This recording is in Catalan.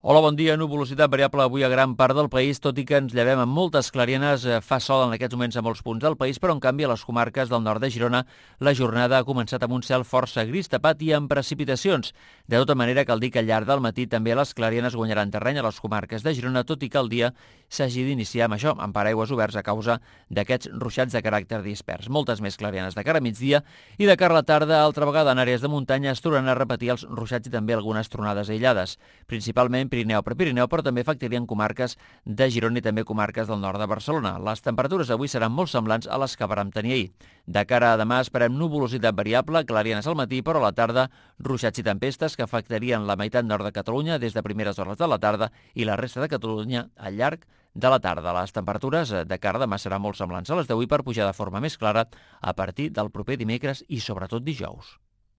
Hola, bon dia. Nuvolositat variable avui a gran part del país, tot i que ens llevem amb moltes clarianes. Fa sol en aquests moments a molts punts del país, però en canvi a les comarques del nord de Girona la jornada ha començat amb un cel força gris tapat i amb precipitacions. De tota manera, cal dir que al llarg del matí també les clarianes guanyaran terreny a les comarques de Girona, tot i que el dia s'hagi d'iniciar amb això, amb paraigües oberts a causa d'aquests ruixats de caràcter dispers. Moltes més clarianes de cara a migdia i de cara a la tarda, altra vegada en àrees de muntanya es tornaran a repetir els ruixats i també algunes tronades aïllades, principalment Pirineu, però també afectarien comarques de Girona i també comarques del nord de Barcelona. Les temperatures avui seran molt semblants a les que vàrem tenir ahir. De cara a demà esperem nuvolositat variable, clarianes al matí, però a la tarda ruixats i tempestes que afectarien la meitat nord de Catalunya des de primeres hores de la tarda i la resta de Catalunya al llarg de la tarda. Les temperatures de cara a demà seran molt semblants a les d'avui per pujar de forma més clara a partir del proper dimecres i sobretot dijous.